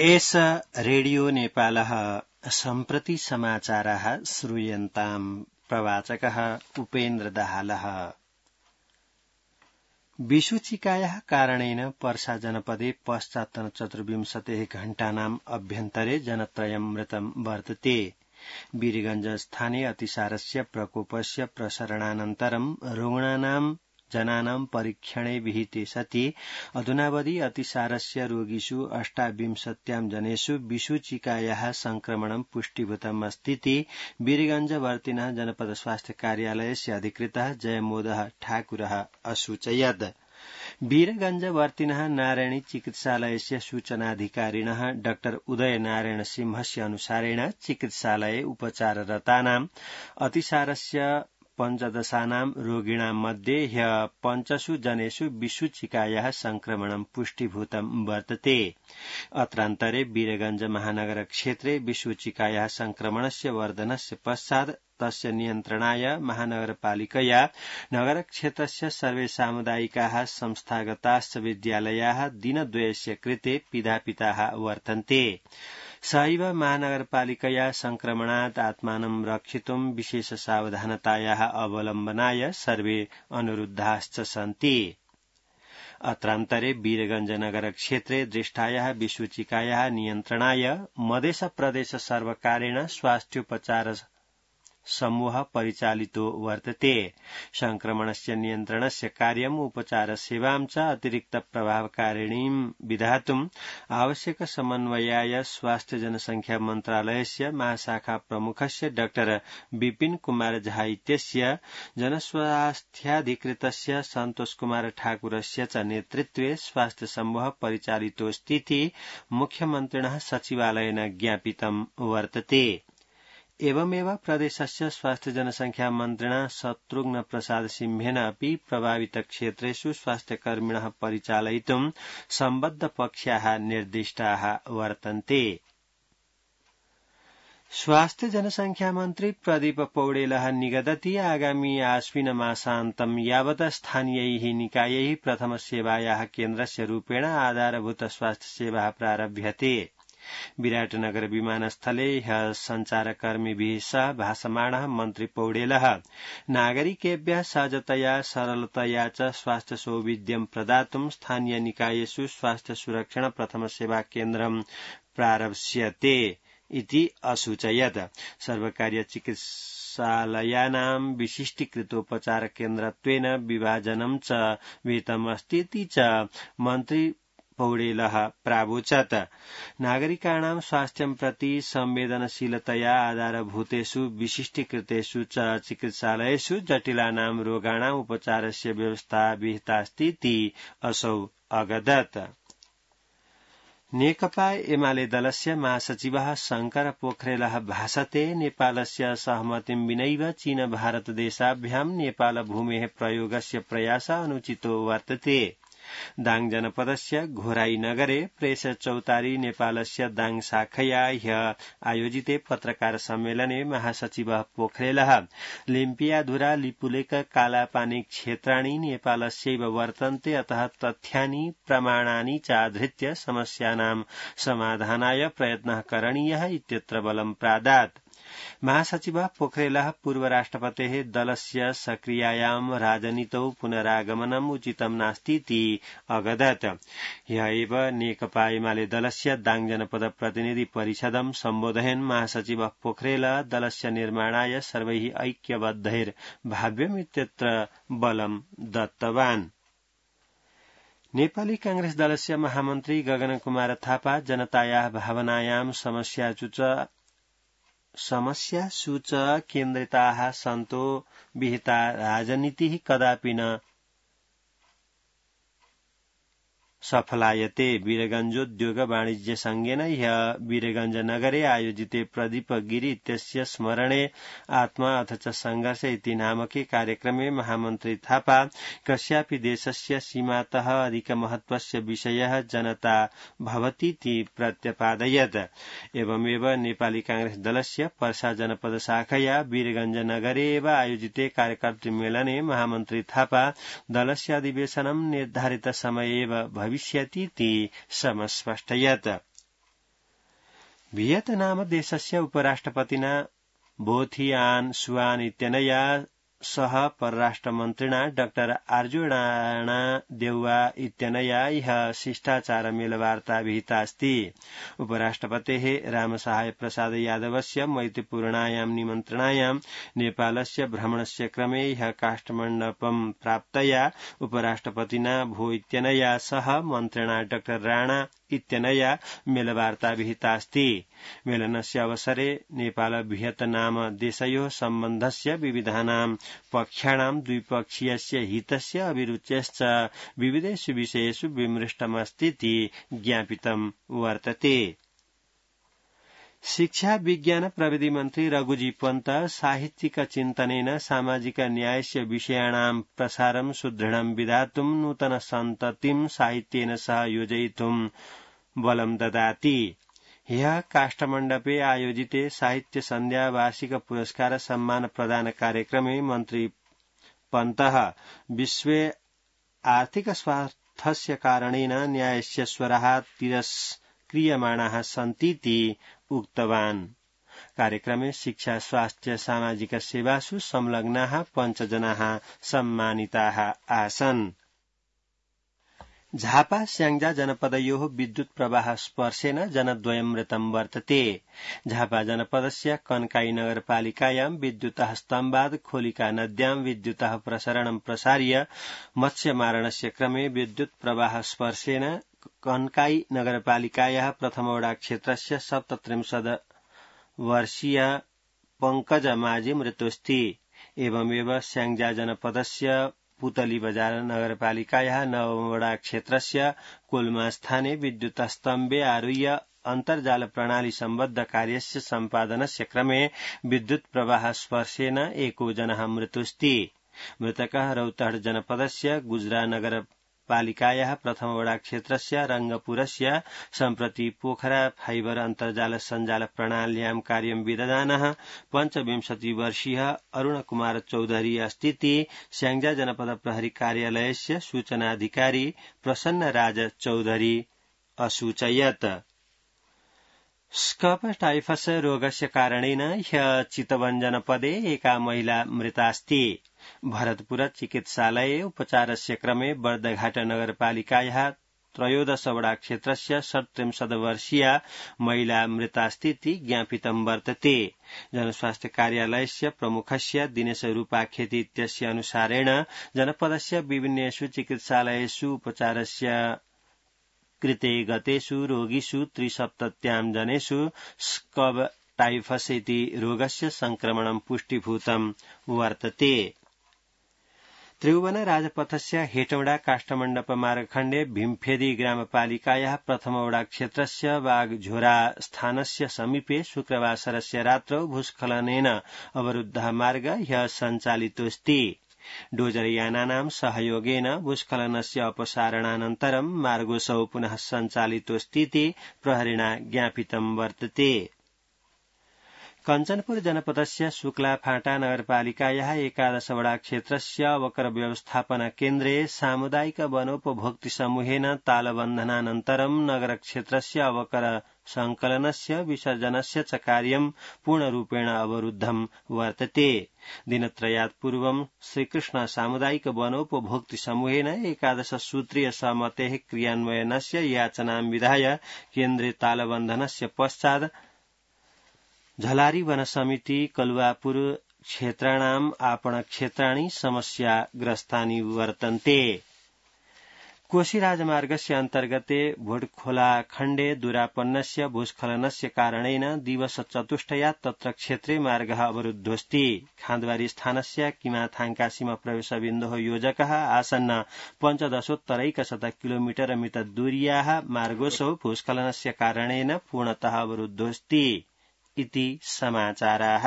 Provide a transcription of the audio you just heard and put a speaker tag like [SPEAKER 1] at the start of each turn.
[SPEAKER 1] एष रेडियो नेपालः सम्प्रति समाचारः श्रूयन्ताम् प्रवाचकः उपेन्द्र दाहालः। विषुचिकायाः कारणेन पर्सा जनपदे पश्चात् 24 घण्टानाम् अभ्यन्तरे जनत्रयम् मृतम् वर्तते। वीरगंज स्थाने अतिसारस्य प्रकोपस्य प्रसरणानन्तरम् रुग्णानाम् जनानां परीक्षणे विहिते सति अधुनावधि अतिसारस्य रोगिषु 28 जनेषु विषुचिकायाः संक्रमणं पुष्टिभूतम् अस्तीति वीरगंजवर्तिनः जनपद स्वास्थ्य कार्यालयस्य अधिकृतः जयमोदः ठाकुरः असूचयत्। वीरगंजवर्तिनः नारायणी चिकित्सालयस्य सूचनाधिकारिणः डॉ उदय नारायण सिंहस्य अनुसारेण चिकित्सालये उपचाररतानाम् अतिसारस्य 15 रोगिणां मध्ये ह्य 5 जनेषु विषुचिकायाः संक्रमणं पुष्टिभूतं वर्तते। अत्रान्तरे वीरगंज महानगर क्षेत्रे विषुचिकायाः संक्रमणस्य वर्धनस्य पश्चात् तस्य नियन्त्रणाय महानगरपालिकया नगरक्षेत्रस्य सर्वे सामुदायिकाः संस्थागताश्च विद्यालयाः दिनद्वयस्य कृते पिधापिताः वर्तन्ते। सहैव महानगरपालिकया संक्रमणात् आत्मानं रक्षितुं विशेष सावधानतायाः अवलम्बनाय सर्वे अनुरुद्धाश्च सन्ति। अत्रान्तरे वीरगंज नगर क्षेत्रे दृष्टायाः विषुचिकायाः नियन्त्रणाय मधेश प्रदेश सर्वकारेण स्वास्थ्योपचार समूह परिचालितो वर्तते। संक्रमणस्य नियन्त्रणस्य कार्यम् उपचार सेवां च अतिरिक्त प्रभावकारिणीं विधातुम् आवश्यक समन्वयाय स्वास्थ्य जनसंख्या मन्त्रालयस्य महाशाखा प्रमुखस्य डॉ विपिन कुमार झा इत्यस्य जनस्वास्थ्याधिकृतस्य सन्तोष कुमार ठाकुरस्य च नेतृत्वे स्वास्थ्य समूह परिचालितोऽस्तीति मुख्यमन्त्रिणः सचिवालयेन ज्ञापितं वर्तते। एवमेव प्रदेशस्य स्वास्थ्य जनसंख्या मन्त्रिणा शत्रुघ्न प्रसाद सिंहेन अपि प्रभावित क्षेत्रेषु स्वास्थ्यकर्मिणः परिचालयितुं सम्बद्ध पक्षाः निर्दिष्टाः वर्तन्ते। स्वास्थ्य जनसंख्या मन्त्री प्रदीप पौडेलः निगदति आगामी आश्विन मासान्तं यावत् स्थानीयैः निकायैः प्रथम सेवायाः केन्द्रस्य रूपेण आधारभूत स्वास्थ्य सेवा प्रारभ्यते। विराटनगर विमानस्थले ह्यः संचारकर्मिभिः सह भाषमाणः मन्त्री पौडेलः नागरिकेभ्यः सहजतया सरलतया च स्वास्थ्य सौविध्यं प्रदातुं स्थानीय निकायेषु स्वास्थ्य सुरक्षण प्रथम सेवा केन्द्रं प्रारप्स्यते इति असूचयत्। सर्वकारीय चिकित्सालयानां विशिष्टीकृतोपचार केन्द्रत्वेन विभाजनं च विहितमस्तीति च मन्त्री पौडेलः प्रावोचत्। नागरिकाणां स्वास्थ्यं प्रति संवेदनशीलतया आधारभूतेषु विशिष्टीकृतेषु च चिकित्सालयेषु जटिलानां रोगाणां उपचारस्य व्यवस्था विहितास्तीति असौ अगदत्। नेकपा एमाले दलस्य महासचिवः शंकर पोखरेलः भाषते नेपालस्य सहमतिं विनैव चीन भारत देशाभ्यां नेपाल भूमेः प्रयोगस्य प्रयासः अनुचितो वर्तते। दाङ जनपदस्य घोराई नगरे प्रेस चौतारी नेपालस्य दाङ शाखया ह्यः आयोजिते पत्रकार सम्मेलने महासचिवः पोखरेलः लिम्पियाधुरा लिपुलेक कालापानी क्षेत्राणि नेपालस्यैव वर्तन्ते, अतः तथ्यानि प्रमाणानि चाधृत्य समस्यानां समाधानाय प्रयत्नः करणीयः इत्यत्र बलं प्रादात्। महासचिवः पोखरेलः पूर्व राष्ट्रपतेः दलस्य सक्रियायां राजनीतौ पुनरागमनम् उचितं नास्तीति अगदत्। ह्यः एव नेकपा एमाले दलस्य दाङ जनपद प्रतिनिधि परिषदं सम्बोधयन् महासचिवः पोखरेलः दलस्य निर्माणाय सर्वैः ऐक्यबद्धैर्भाव्यम् इत्यत्र बलं दत्तवान्। नेपाली कांग्रेस दलस्य महामन्त्री गगन कुमार थापा जनतायाः भावनायां समस्यासु च केन्द्रिताः सन्तो विहिता राजनीतिः कदापि न सफलायते। वीरगंजोद्योग वाणिज्य संघेन ह्यः वीरगंज नगरे आयोजिते प्रदीप गिरि इत्यस्य स्मरणे आत्मा अथ च संघर्ष इति नामके कार्यक्रमे महामन्त्री थापा कस्यापि देशस्य सीमातः अधिकमहत्वस्य विषयः जनता भवतीति प्रत्यपादयत्। एवमेव नेपाली कांग्रेस दलस्य पर्सा जनपद शाखया वीरगंज नगरे एव आयोजिते कार्यकर्तृमेलने महामन्त्री थापा दलस्य अधिवेशनं निर्धारित समये एव भविष्यतीति समस्पष्टयत्। वियतनाम देशस्य उपराष्ट्रपतिना बोथिआन सुआन इत्यनया सह परराष्ट्रमन्त्रिणा डाक्टर अर्जुन देउवा इत्यनया इह शिष्टाचार मेलवार्ता विहिता अस्ति। उपराष्ट्रपतेः रामसहाय प्रसाद यादवस्य मैत्रीपूर्णायां निमन्त्रणायां नेपालस्य भ्रमणस्य क्रमे इह काठमाण्डुं प्राप्तया उपराष्ट्रपतिना भो इत्यनया सह मन्त्रिणा डाक्टर राणा इत्यनया मेलवार्ता विहिता अस्ति। मेलनस्य अवसरे नेपाल वियतनाम देशयोः सम्बन्धस्य विविधानां पक्षाणां द्विपक्षीयस्य हितस्य अभिरुचेश्च विविधेषु विषयेषु विमृष्टमस्तीति ज्ञापितं वर्तते। शिक्षा विज्ञान प्रविधि मन्त्री रघुजी पन्त साहित्यिक चिन्तनेन सामाजिक न्यायस्य विषयाणां प्रसारं सुदृढं विधातुं नूतन सन्ततिं साहित्येन सह योजयितुं बलं ददाति। ह्यः काष्ठमण्डपे आयोजिते साहित्य सन्ध्या वार्षिक पुरस्कार सम्मान प्रदान कार्यक्रमे मन्त्री पन्तः विश्वे आर्थिक स्वार्थस्य कारणेन न्यायस्य स्वराः तिरस्क्रियमाणाः सन्तीति उक्तवान्। कार्यक्रमे शिक्षा स्वास्थ्य सामाजिक सेवासु संलग्नाः 5 जनाः सम्मानिताः आसन्। झापा स्याङ्जा जनपदयोः विद्युत प्रवाह स्पर्शेन जनद्वयं मृतं वर्तते। झापा जनपदस्य कन्काई नगरपालिकायां विद्युतः स्तम्भाद् खोलिका नद्यां विद्युतः प्रसरणं प्रसार्य मत्स्यमारणस्य क्रमे विद्युत प्रवाह स्पर्शेन कन्काई नगरपालिकायाः प्रथमवडा क्षेत्रस्य 37 वर्षीय पंकज माझी मृतोऽस्ति। एवमेव स्याङ्जा जनपदस्य पुतली बजार नगरपालिकायाः नवमवडा क्षेत्रस्य कोल्मा स्थाने विद्युतस्तम्भे आरुह्य अन्तर्जाल प्रणाली सम्बद्ध कार्यस्य सम्पादनस्य क्रमे विद्युत प्रवाह स्पर्शेन एको जनः मृतोऽस्ति। मृतकः रौतहट जनपदस्य गुजरा नगरपालिकायाः प्रथमवडा क्षेत्रस्य रंगपुरस्य सम्प्रति पोखरा फाइबर अन्तर्जाल सञ्जाल प्रणाल्यां कार्यं विदधानः 25 वर्षीयः अरुणकुमार चौधरी अस्तीति स्याङ्जा जनपद प्रहरी कार्यालयस्य सूचनाधिकारी प्रसन्न राज चौधरी असूचयत्। स्कब टाइफस रोगस्य कारणेन ह्यः चितवन जनपदे एका महिला मृतास्ति। भरतपुर चिकित्सालये उपचारस्य क्रमे बर्दघाट नगरपालिकायाः 13 वडा क्षेत्रस्य 37 वर्षीया महिला मृतास्तीति ज्ञापितं वर्तते। जनस्वास्थ्य कार्यालयस्य प्रमुखस्य दिनेश रूपाखेती इत्यस्य अनुसारेण जनपदस्य विभिन्नेषु चिकित्सालयेषु उपचारस्य कृते गतेषु रोगिषु 73 जनेषु स्कब टाइफस इति रोगस्य संक्रमणं पुष्टिभूतं वर्तते। त्रिभुवन राजपथस्य हेटौडा काष्ठमण्डप मार्गखण्डे भीमफेदी ग्रामपालिकायाः प्रथमवडा क्षेत्रस्य वाघझोरा स्थानस्य समीपे शुक्रवासरस्य रात्रौ भूस्खलनेन अवरुद्धः मार्ग ह्यः सञ्चालितोऽस्ति। डोजरयानानां सहयोगेन भूस्खलनस्य अपसारणानन्तरं मार्गोऽसौ पुनः सञ्चालितोऽस्तीति प्रहरिणा ज्ञापितं वर्तते। कञ्चनपुर जनपदस्य शुक्लाफाटा नगरपालिकायाः 11 वडा क्षेत्रस्य अवकर व्यवस्थापन केन्द्रे सामुदायिक वनोपभोक्तृ समूहेन तालबन्धनानन्तरं नगर क्षेत्रस्य अवकर संकलनस्य विसर्जनस्य च कार्यं पूर्णरूपेण अवरुद्धं वर्तते। दिनत्रयात् पूर्वं श्रीकृष्ण सामुदायिक वनोपभोक्तृ समूहेन 11 सूत्रीय सहमतेः क्रियान्वयनस्य याचनां विधाय केन्द्रे तालबन्धनस्य पश्चात् झलारी वन समिति कलुवापुर क्षेत्राणाम् आपण क्षेत्राणि समस्याग्रस्तानि वर्तन्ते। कोशी राजमार्गस्य अन्तर्गते भोटखोला खण्डे दुरापन्नस्य भूस्खलनस्य कारणेन दिवस चतुष्टया तत्र क्षेत्रे मार्गः अवरुद्धोऽस्ति। खान्दवारी स्थानस्य किमाथाङ्का सीमा प्रवेशबिन्दोः योजकः आसन्न 15 किलोमीटर मितदूर्याः मार्गोऽसौ भूस्खलनस्य कारणेन पूर्णतः अवरुद्धोऽस्ति इति समाचाराः।